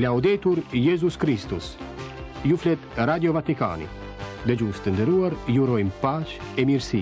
Laudetur Jezus Kristus. Ju flet Radio Vatikani. Dëgjues të nderuar, ju urojmë paqe e mirësi.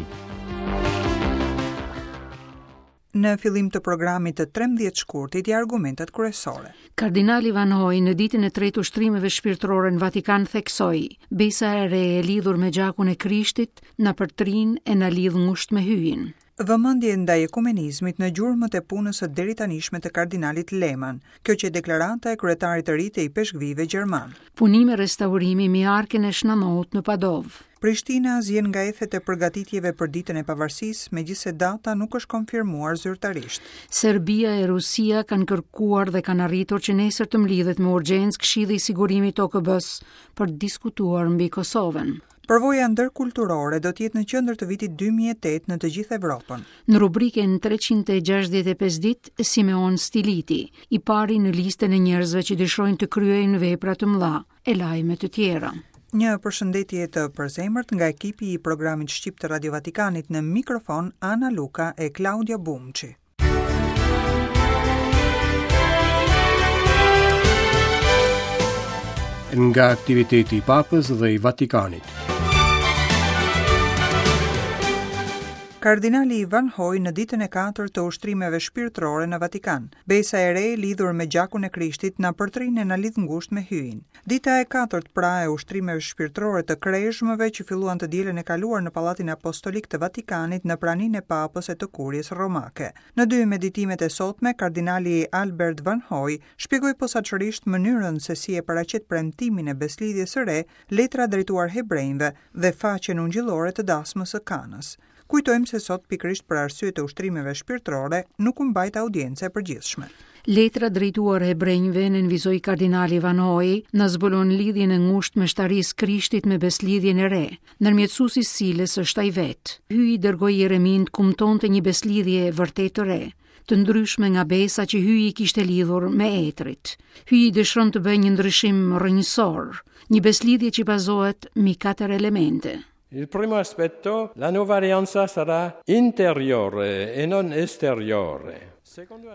Në fillim të programit të 13 shkurtit ja argumentet kryesore. Kardinali Vanhoj në ditën e tretë ushtrimeve shpirtërore në Vatikan theksoi, besa e re e lidhur me gjakun e Krishtit na përtrin e na lidh ngushtë me Hyjin. Vëmendje ndaj ekumenizmit në gjurmët e punës së deritanishme të kardinalit Lehmann. Kjo qe deklarata e kryetarit të ri të ipeshkvijve gjermanë. Punime restaurimi mbi arkën e Shna Nout në Padovë. Prishtina zien nga ethet e përgatitjeve për Ditën e Pavarësisë, megjithëse data nuk është konfirmuar zyrtarisht. Serbia e Rusia kanë kërkuar dhe kanë arritur që nesër të mblidhet me urgjencë Këshilli i Sigurimit të OKB-së për të diskutuar mbi Kosovën. Përvoja ndërkulturore do të jetë në qendër të vitit 2008 në të gjithë Evropën. Në rubrikën 365 ditë, Simeon Stiliti, i pari në listën e njerëzve që dëshirojnë të kryejnë vepra të mëdha e lajme të tjera. Një përshëndetje të përzemërt nga ekipi i programit shqip të Radio Vatikanit në mikrofon Ana Luka e Klaudia Bumçi. Nga aktiviteti i Papës dhe i Vatikanit. Kardinali Van Hoj në ditën e katërt të ushtrimeve shpirtërore në Vatikan. Besa e re lidhur me gjakun e Krishtit na përtrin e na lidh ngushtë me Hyjin. Dita e katërt pra e ushtrimeve shpirtërore të krezhmëve që filluan të dielën e kaluar në Pallatin Apostolik të Vatikanit në praninë e Papës e të Kuries Romake. Në dy meditimet e sotme, kardinali Albert Van Hoj shpjegoi posaçërisht mënyrën se si e paraqet premtimin e besëlidhjes së re letra drejtuar hebrenjve dhe faqen ungjillore të dasmës së Kanës. Kujtojmë se sot pikërisht për arsye të ushtrimeve shpirtërore nuk u mbajt audienca e përgjithshme. Letra drejtuar hebrenjve, nënvizoi kardinali Van Hoj, na zbulon lidhjen e ngushtë të meshtarisë Krishtit me besëlidhjen e re, ndërmjetësues i së cilës është ai vetë. Hyji dërgoi Jereminë të kumtonte një besëlidhje vërtet të re, të ndryshme nga besa që Hyji kishte lidhur me etërit. Hyji dëshiron të bëjë një ndryshim rrënjësor, një besëlidhje që bazohet mbi katër elemente. Il primo aspetto, la nuova alleanza sarà interiore e non esteriore.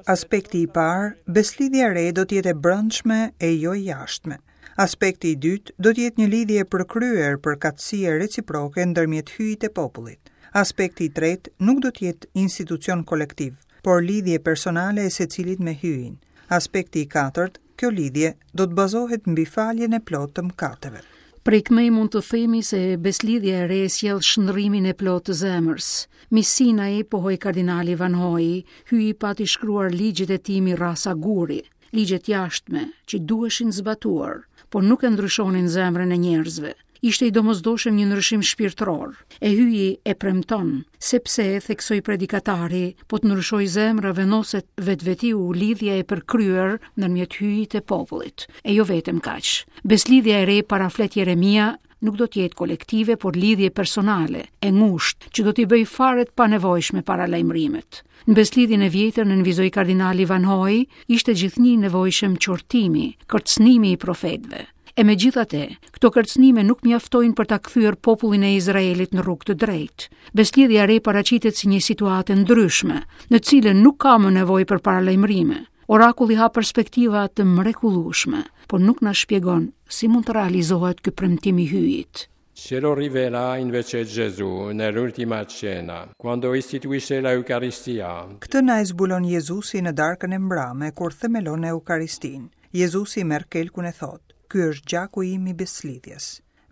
Aspekti i parë, besëlidhja e re do të jetë e brendshme e jo e jashtme. Aspekti i dytë do të jetë një lidhje e përkryer përkatësie reciproke ndërmjet Hyjit e popullit. Aspekti i tretë nuk do të jetë institucion kolektiv, por lidhje personale e secilit me Hyjin. Aspekti i katërt, kjo lidhje do të bazohet mbi faljen e plotë të mëkateve. Prej këmej mund të themi se besëlidhja e re sjell shndërrimin e plotë të zemrës. Mbi Sinai, pohoi kardinali Van Hoj, Hyji pati shkruar ligjet e tij mbi rrasa guri, ligje të jashtme që duheshin zbatuar, por nuk e ndryshonin zemrën e njerëzve. Ishte i domosdoshëm një ndryshim shpirtëror, e Hyji e premton, sepse, theksoi predikatari, po të ndryshojë zemra vendoset vetvetiu lidhja e përkryer ndërmjet Hyjit e popullit. E jo vetëm kaq. Besëlidhja e re paraflet Jeremia nuk do të jetë kolektive, por lidhje personale, e ngushtë, që do t'i bëjë fare të panevojshme paralajmërimet. Në besëlidhjen e vjetër, nënvizoi kardinali Van Hoj, ishte gjithnjë i nevojshëm qortimi, kërcënimi i profetëve. E megjithatë, këto kërcënime nuk mjaftojnë për ta kthyer popullin e Izraelit në rrugë të drejtë. Besëlidhja e re paraqitet si një situatë e ndryshme, në të cilën nuk ka më nevojë për paralajmërime. Orakulli hap perspektiva të mrekullueshme, por nuk na shpjegon si mund të realizohet ky premtim i Hyjit. Ce lo rivela invece Gesù nell'ultima cena, quando istituisce l'Eucaristia. Këtë na e zbulon Jezusi në darkën e mbrame, kur themelon Eukaristinë. Jezusi merr kelkun e thotë, Ky është gjaku im i besëlidhjes.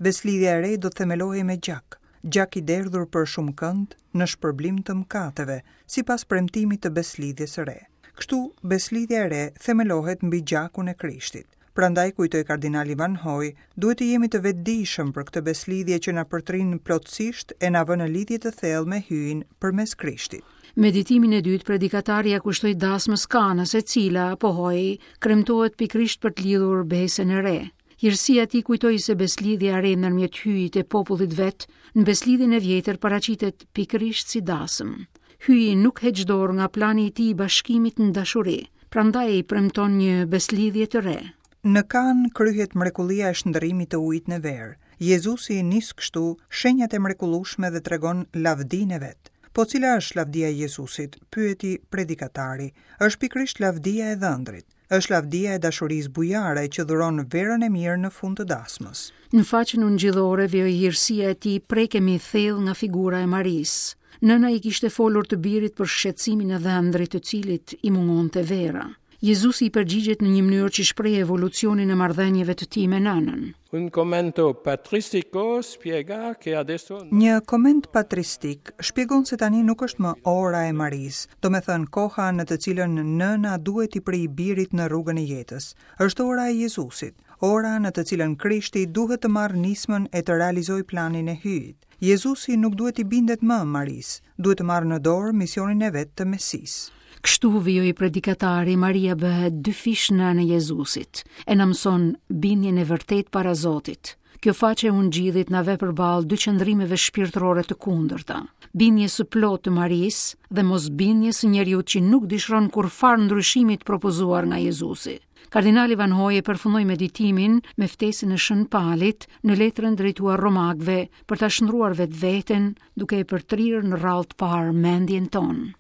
Besëlidhja e re do të themelohej me gjak, gjak i derdhur për shumëkënd në shpërblim të mëkateve, sipas premtimit të besëlidhjes së re. Kështu, besëlidhja e re themelohet mbi gjakun e Krishtit. Prandaj, kujtoi kardinali Van Hoj, duhet të jemi të vetëdijshëm për këtë besëlidhje që na përtrin plotësisht e na vë në lidhje të thellë me Hyjin përmes Krishtit. Meditimin e dytë predikatari ia kushtoi dasmës Kanës, e cila, pohoi, kremtohet pikërisht për të lidhur besën e re. Hirësia e tij kujtoi se besëlidhja e re ndërmjet Hyjit e popullit vet, në besëlidhjen e vjetër paraqitet pikërisht si dasëm. Hyji nuk heq dorë nga plani i tij i bashkimit në dashuri, prandaj i premton një besëlidhje të re. Në Kanë kryhet mrekullia e shndërrimit të ujit në verë. Jezusi nis kështu shenjat e mrekullueshme dhe tregon lavdinë e vet. Po cila është lavdia e Jezusit? pyeti predikatari. Është pikërisht lavdia e dhëndrit. Është lavdia e dashurisë bujare që dhuron verën e mirë në fund të dasmës. Në faqen ungjillore vijoi hirësia e tij prekemi thellë nga figura e Marisë. Nëna i kishte folur të birit për shqetësimin e dhëndrit të cilit i mungonte vera. Jezusi i përgjigjet në një mënyrë që shpreh evolucionin e marrëdhënieve të tij me nënën. Un commento patristico spiega che adesso Një koment patristik shpjegon se tani nuk është më ora e Marisë, domethënë koha në të cilën nëna duhet t'i prijë birit në rrugën e jetës. Është ora e Jezusit, ora në të cilën Krishti duhet të marrë nismën e të realizojë planin e Hyjit. Jezusi nuk duhet t'i bindet më Marisë, duhet të marrë në dorë misionin e vet të Mesisë. Kështu vijoi predikatari, Maria bëhet dyfish nënë e Jezusit, e na mëson bindjen e vërtetë para Zotit. Kjo faqe e Ungjillit na vë përballë dy qëndrimeve shpirtërore të kundërta, bindjes së plotë të Marisë dhe mosbindjes së njeriut që nuk dëshiron kurrfarë ndryshimi të propozuar nga Jezusi. Kardinali Van Hoy e përfundoi meditimin me ftesën e Shën Palit në letrën drejtuar Romakëve për ta shndërruar vetveten duke e përtrirë në radhë të parë mendjen tonë.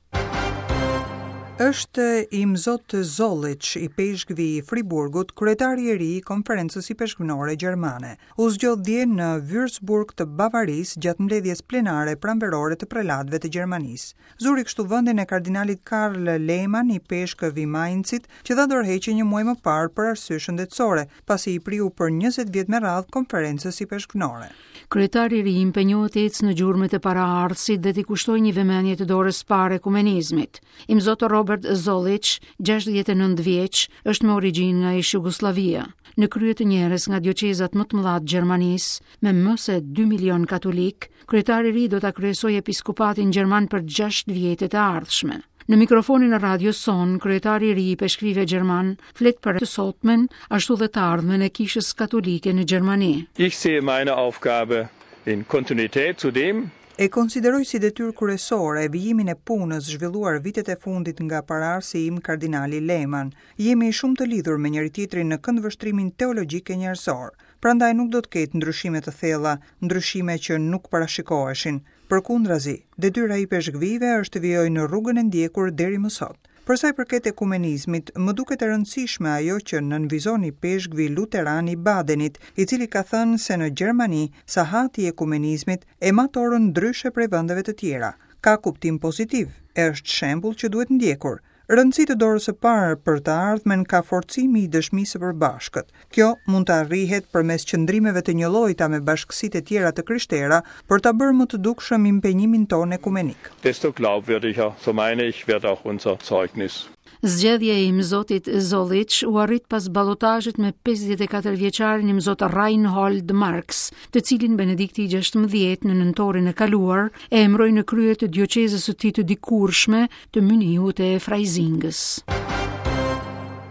Është Imzot Zollitsch, ipeshkvi i Friburgut, kryetari i ri i Konferencës Ipeshkvnore Gjermane. U zgjodh dje në Würzburg të Bavarisë gjatë mbledhjes plenare pranverore të prelatëve të Gjermanisë. Zuri kështu vendin e kardinalit Karl Lehmann, ipeshkëv i Mainzit, që dha dorëheqje një muaj më parë për arsye shëndetësore, pasi i priu për 20 vjet me radhë Konferencës Ipeshkvnore. Kryetari i ri impenjohet të ecë në gjurmët e paraardhësit dhe t'i kushtojë një vëmendje të dorës së parë ekumenizmit. Imzot Robert Zollitsch, 69 vjeç, është me origjinë nga ish Jugosllavia. Në krye të njërës nga dioqezat më të mëdha të Gjermanisë, me më se 2 milion katolikë, kryetari i ri do ta kryesojë episkopatin gjerman për 6 vjetët e ardhshme. Në mikrofonin e radios sonë, kryetari i ri i ipeshkvijve gjermanë flet për të sotmen, ashtu dhe të ardhmen e Kishës Katolike në Gjermani. Ich sehe meine Aufgabe in Kontinuität zu dem, E konsideroj si detyrë kryesore vijimin e punës zhvilluar vitet e fundit nga paraardhësi im kardinali Lehmann. Jemi shumë të lidhur me njëri-tjetrin në këndvështrimin teologjik e njerëzor. Prandaj nuk do të ketë ndryshime të thella, ndryshime që nuk parashikoheshin. Përkundrazi, detyra e ipeshkvijve është të vijojnë rrugën e ndjekur deri më sot. Për sa i përket ekumenizmit, më duket e rëndësishme ajo që nënvizon ipeshkvi luteran i Badenit, i cili ka thënë se në Gjermani, sahati i ekumenizmit e mat orën ndryshe prej vendeve të tjera. Ka kuptim pozitiv, e është shembull që duhet ndjekur. Rëndësi të dorës së parë për të ardhmen ka forcimi i dëshmisë së përbashkët. Kjo mund të arrihet përmes qëndrimeve të njëllojta me bashkësitë e tjera të krishtera për ta bërë më të dukshëm impenjimin tonë ekumenik. Desto glaubwürdiger, so meine ich, wird auch unser Zeugnis. Zgjedhja e Imzotit Zollitsch u arrit pas balotazhit me 54 vjeçarin Imzot Reinhold Marx, të cilin Benedikti i 16 në nëntorin e kaluar e emëroi në krye të dioqezës së tij të dikurshme të Mynihut e Freisingës.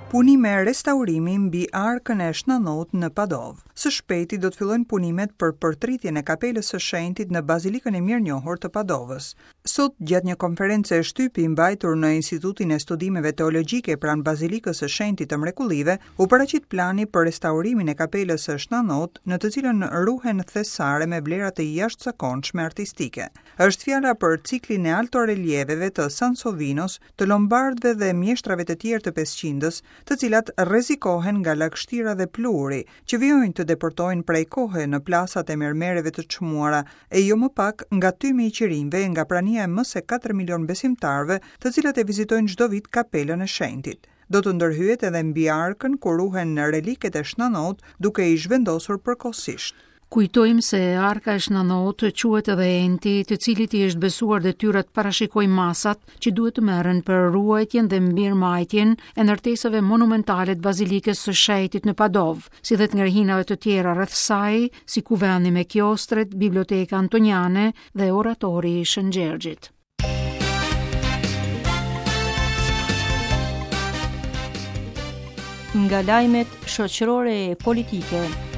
Punime restaurimi mbi arkën e Shën Ndout në Padovë. Së shpejti do të fillojnë punimet për përtritjen e kapelës së shenjtit në Bazilikën e Mirënjohur të Padovës. Sot, gjatë një konference shtypi mbajtur në Institutin e Studimeve Teologjike pranë Bazilikës së Shenjtit të Mrekullive, u paraqit plani për restaurimin e kapelës së Shën Ndout, në të cilën ruhen thesare me vlera të jashtëzakonshme artistike. Është fjala për ciklin e altorelieveve të Sansovinos, të Lombardëve dhe mjeshtrave të tjerë të pesëqindës, të cilat rrezikohen nga lagështira dhe pluhuri, që vijojnë të depërtojnë prej kohe në plasat e mermereve të çmuara, e jo më pak nga tymi i qirinjve e nga prania e më se katër milionë besimtarëve, të cilët e vizitojnë çdo vit kapelën e shenjtit. Do të ndërhyhet edhe mbi arkën ku ruhen reliket e Shën Ndout, duke i zhvendosur përkohësisht. Kujtojmë se Arka e Shën Ndout quhet edhe enti, të cilit i është besuar detyra të parashikojë masat që duhet të merren për ruajtjen dhe mirëmbajtjen e ndërtesave monumentale të Bazilikës së Shenjtit në Padovë, si dhe të ngrehinave të tjera rreth saj, si kuvendi me kiostret, Biblioteka Antoniane dhe Oratori i Shën Gjergjit. Nga lajmet shoqërore e politike.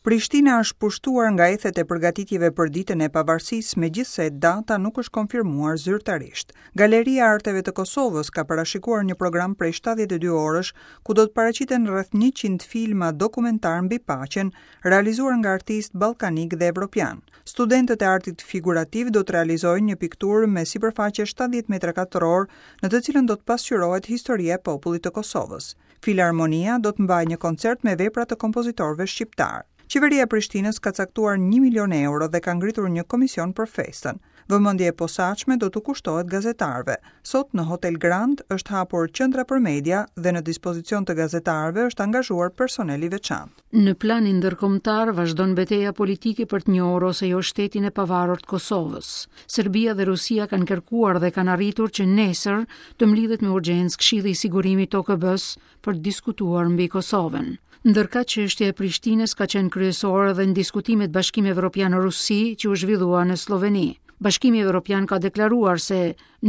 Prishtina është pushtuar nga ethet e përgatitjeve për Ditën e Pavarësisë, megjithëse data nuk është konfirmuar zyrtarisht. Galeria e Arteve të Kosovës ka parashikuar një program prej 72 orësh, ku do të paraqiten rreth 100 filma dokumentarë mbi paqen, realizuar nga artistë ballkanikë dhe evropianë. Studentët e artit figurativ do të realizojnë një pikturë me sipërfaqe 70 metra katrorë, në të cilën do të pasqyrohet historia e popullit të Kosovës. Filarmonia do të mbajë një koncert me vepra të kompozitorëve shqiptarë. Qeveria e Prishtinës ka caktuar një milion euro dhe ka ngritur një komision për festën. Vëmendje e posaçme do t'u kushtohet gazetarëve. Sot në Hotel Grand është hapur qendra për media dhe në dispozicion të gazetarëve është angazhuar personel i veçantë. Në planin ndërkombëtar vazhdon beteja politike për të njohur ose jo shtetin e pavarur të Kosovës. Serbia dhe Rusia kanë kërkuar dhe kanë arritur që nesër të mblidhet me urgjencë Këshilli i Sigurimit të OKB-së për të diskutuar mbi Kosovën. Ndërkaq çështja e Prishtinës ka qenë kryesore edhe në diskutimet Bashkim Evropian-Rusi që u zhvillua në Slloveni. Bashkimi Evropian ka deklaruar se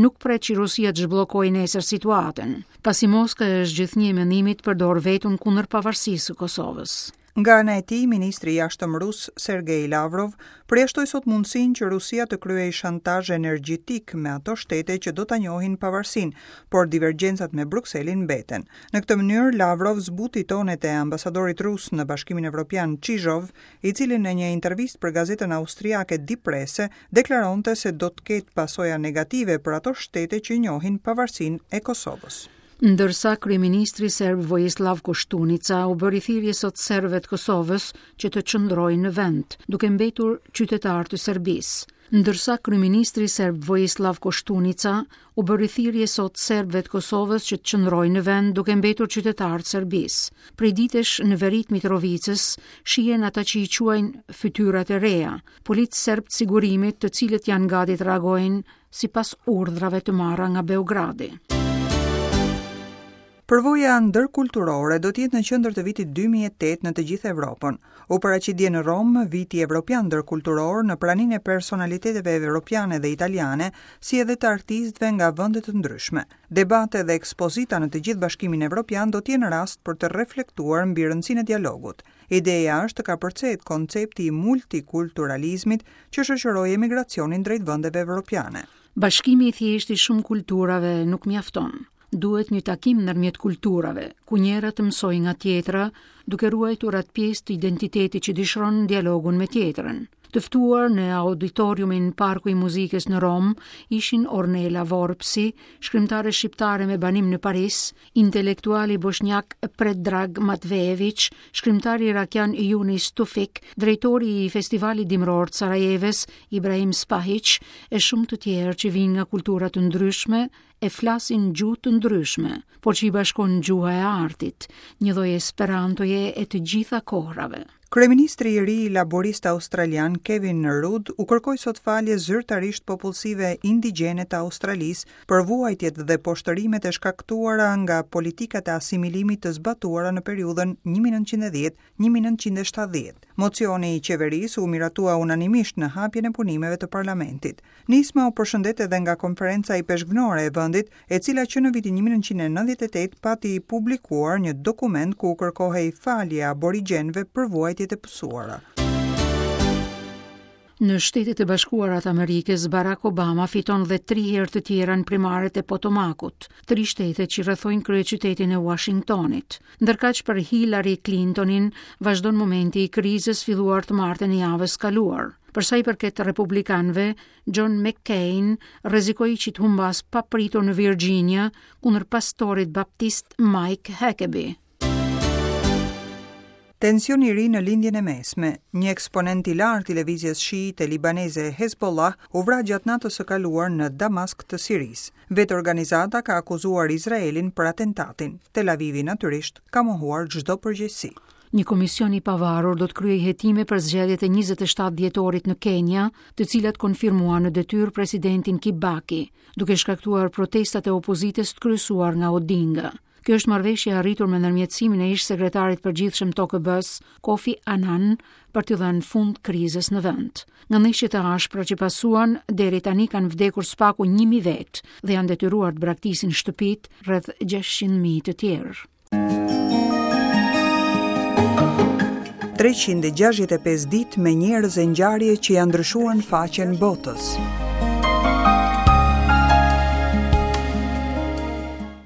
nuk pret që Rusia të zhbllokojë nesër situatën, pasi Moska është gjithnjë e mendimit të përdorë veton kundër pavarësisë së Kosovës. Nga ana e tij, ministri i Jashtëm rus, Sergei Lavrov, përjashtoi sot mundësinë që Rusia të kryejë shantazh energjetik me ato shtete që do ta njohin pavarësinë, por divergjencat me Brukselin mbeten. Në këtë mënyrë, Lavrov zbuti tonet e ambasadorit rus në Bashkimin Evropian, Chizhov, i cili në një intervistë për gazetën austriake Die Presse deklaronte se do të ketë pasoja negative për ato shtete që njohin pavarësinë e Kosovës. Ndërsa kryeministri serb Vojislav Koshtunica u bëri thirrje sot serbëve të Kosovës që të qëndrojnë në vend, duke mbetur qytetarë të Serbisë. Ndërsa kryeministri serb Vojislav Koshtunica u bëri thirrje sot serbëve të Kosovës që të qëndrojnë në vend duke mbetur qytetarë të Serbisë. Prej ditësh në veri të Mitrovicës shihen ata që i quajnë fytyrat e reja, policë serbë të sigurimit të cilët janë gati të reagojnë sipas urdhrave të marra nga Beogradi. Përvoja ndërkulturore do të jetë në qendër të vitit 2008 në të gjithë Evropën. U paraqit dje në Romë viti evropian ndërkulturor në praninë e personaliteteve evropiane dhe italiane, si edhe të artistëve nga vende të ndryshme. Debate dhe ekspozita në të gjithë Bashkimin Evropian do të jenë rast për të reflektuar mbi rëndësinë e dialogut. Ideja është të kapërcehet koncepti i multikulturalizmit që shoqëroi emigracionin drejt vendeve evropiane. Bashkimi i thjeshtë i shumë kulturave nuk mjafton. Duhet një takim ndërmjet kulturave, ku njëra të mësojë nga tjetra, duke ruajtur atë pjesë të identitetit që dëshiron në dialogun me tjetrën. Të ftuar në auditoriumin Parku i Muzikës në Romë ishin Ornela Vorpsi, shkrimtare shqiptare me banim në Paris, intelektuali boshnjak Predrag Matvejević, shkrimtari irakian Junis Tufik, drejtori i Festivalit Dimëror të Sarajevës, Ibrahim Spahić, e shumë të tjerë që vijnë nga kultura të ndryshme e flasin gjuhë të ndryshme, por që i bashkon gjuha e artit, një lloj esperantoje e të gjitha kohërave. Kryeministri i ri laborist australian Kevin Rudd u kërkoi sot falje zyrtarisht popullsive indigjene të Australisë për vuajtjet dhe poshtërimet e shkaktuara nga politikat e asimilimit të zbatuara në periudhën 1910-1970. Mocioni i qeverisë u miratua unanimisht në hapjen e punimeve të parlamentit. Nisma u përshëndet edhe nga Konferenca Ipeshkvnore e vendit, e cila që në vitin 1998 pati publikuar një dokument ku u kërkohej falje aborigjenëve për vuajtjet e pësuara. Në Shtetet e Bashkuara të Amerikës, Barack Obama fiton dhe tri herë të tjera në primaret e Potomakut, tri shtete që rrethojnë kryeqytetin e Washingtonit. Ndërkaq për Hillary Clintonin vazhdon momenti i krizës filluar të martën e javës kaluar. Për sa i përket republikanëve, John McCain rrezikoi që të humbasë papritur në Virginia kundër pastorit baptist Mike Huckabee. Tension i ri në Lindjen e Mesme. Një eksponent i lartë i lëvizjes shiite libaneze Hezbollah u vra gjatë natës së kaluar në Damask të Sirisë. Vetë organizata ka akuzuar Izraelin për atentatin. Tel Avivi natyrisht ka mohuar çdo përgjegjësi. Një komision i pavarur do të kryejë hetime për zgjedhjet e 27 dhjetorit në Kenia, të cilat konfirmuan në detyrë presidentin Kibaki, duke shkaktuar protestat e opozitës të kryesuar nga Odinga. Kjo është marrëveshje e arritur me ndërmjetësimin e ish-sekretarit të përgjithshëm të OKB-së, Kofi Annan, për t'i dhënë fund krizës në vend. Nga ndeshjet e ashpra që pasuan, deri tani kanë vdekur së paku 1000 vetë dhe janë detyruar të braktisin shtëpitë rreth 600.000 të tjerë. 365 ditë me njerëz e ngjarje që ia ndryshuan faqen botës.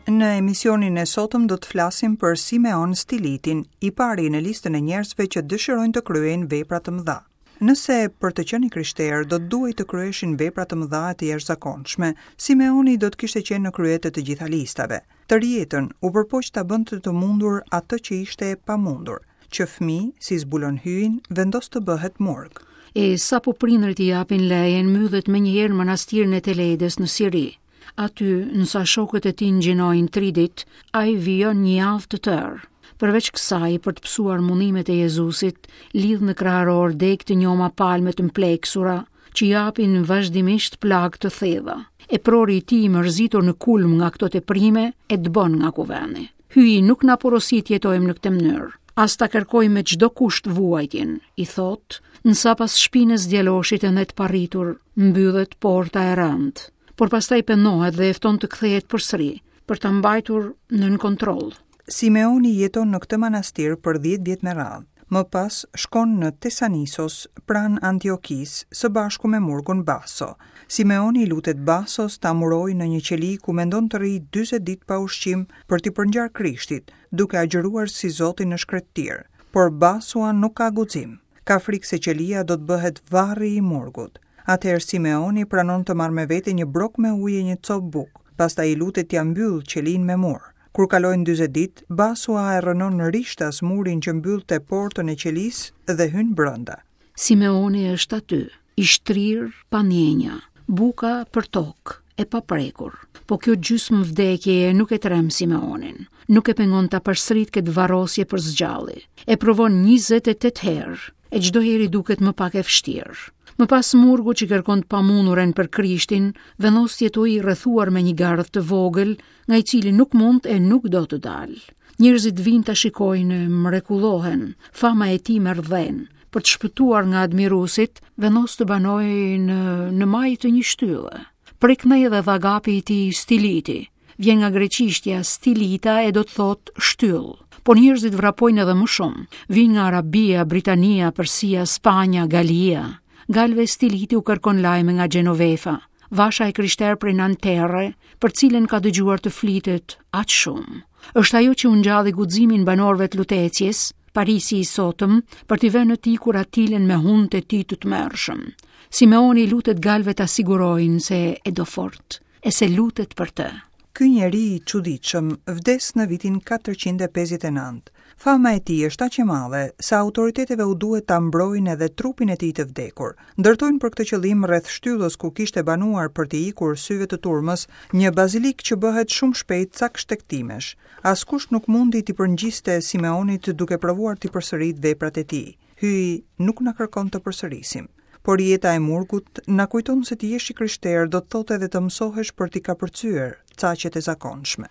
Në emisionin e sotëm do të flasim për Simeon Stilitin, i pari në listën e njerëzve që dëshirojnë të kryejnë vepra të mëdha. Nëse për të qenë i krishterë do të duhej të kryeshin vepra të mëdha e të jashtëzakonshme, Simeoni do të kishte qenë në krye të të gjitha listave. Tërë jetën u përpoq ta bënte të mundur atë që ishte e pamundur. Që fëmijë, si zbulon Hyjin, vendos të bëhet murg. E sapo prindërit i japin lejen, mbyllet menjëherë në manastirin e Teledës në Siri. Aty, ndërsa shokët e tij ngjinojnë tri ditë, ai vijon një javë të tërë. Përveç kësaj, për të pësuar mundimet e Jezusit, lidh në kraharor degë të njoma palme të mpleksura, që japin vazhdimisht plagë të thella. Eprori i tij i mërzitur në kulm nga këto teprime, e dëbon nga kuvendi. Hyji nuk na porosit të jetojmë në këtë mënyrë, as ta kërkojmë me çdo kusht vuajtjen, i thotë, ndërsa pas shpinës djaloshit ende të parritur, mbyllet porta e rëndë. Por pastaj pendohet dhe e fton të kthehet përsëri, për ta mbajtur nën kontroll. Simeoni jeton në këtë manastir për 10 vjet me radhë. Më pas shkon në Tesanisos, pranë Antiokisë, së bashku me murgun Baso. Simeoni i lutet Basos ta murojë në një qeli ku mendon të rrijë 40 ditë pa ushqim për t'i përngjarë Krishtit, duke agjëruar si Zoti në shkretëtirë. Por Basua nuk ka guxim. Ka frikë se qelia do të bëhet varri i murgut. Atëherë Simeoni pranon të marrë me vete një brokë me ujë e një copë bukë, pastaj i lutet t'ia mbyllë qelinë me mur. Kur kalojnë 40 ditë, Basua e rrënon rishtas murin që mbyllte portën e qelisë dhe hyn brenda. Simeoni është aty, i shtrirë pa ndjenja, buka përtokë, e paprekur. Po kjo gjysmë vdekjeje nuk e tremb Simeonin, nuk e pengon ta përsëritë këtë varrosje për së gjalli. E provon 28 herë, e çdo herë i duket më pak e vështirë. Më pas murgu që kërkon të pamunduren për Krishtin, vendos të jetojë i rrethuar me një gardh të vogël, nga i cili nuk mund e nuk do të dalë. Njerëzit vijnë ta shikojnë e mrekullohen, fama e tij merr dhenë. Për të shpëtuar nga admiruesit, vendos të banojë në në majë të një shtylle. Prej këndej edhe dhagapi i tij Stiliti. Vjen nga greqishtja stilita e do të thotë shtyllë. Por njerëzit vrapojnë edhe më shumë. Vijnë nga Arabia, Britania, Persia, Spanja, Galia. Galëve Stiliti u kërkon lajme nga Genovefa, vasha e krishterë prej Nanterre, për cilën ka dëgjuar të flitet aq shumë. Është ajo që u ngjalli guximin banorëve të Lutecies, Parisi i sotëm, për t'i vënë të ikur Atilën me hundët e tij të tmerrshëm. Simeoni i lutet galëve ta sigurojnë se e do fort, e se lutet për të. Ky njeri i çuditshëm vdes në vitin 459. Fama e tij është aq e madhe sa autoriteteve u duhet ta mbrojnë edhe trupin e tij të vdekur. Ndërtojnë për këtë qëllim rreth shtyllës ku kishte banuar për t'i ikur syve të turmës, një bazilikë që bëhet shumë shpejt cak shtegtimesh. Askush nuk mundi t'i përngjiste Simeonit duke provuar t'i përsëritë veprat e tij. Hyji nuk na kërkon të përsërisim. Por jeta e murgut na kujton se të jesh i krishterë do të thotë edhe të mësohesh për t'i kapërcyer caqet e zakonshme.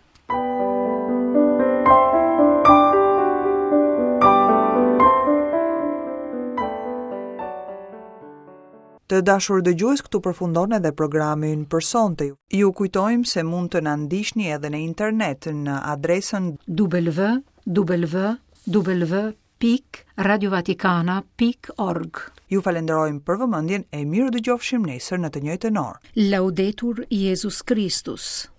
Të dashur dëgjues, këtu përfundon edhe programi ynë për sonte. Ju kujtojmë se mund të na ndiqni edhe në internet në adresën www pikë radiovatikana pikë org. Ju falenderojmë për vëmendjen e mirudëgjofshim nesër në të njëjtën orë. Laudetur Jezus Kristus.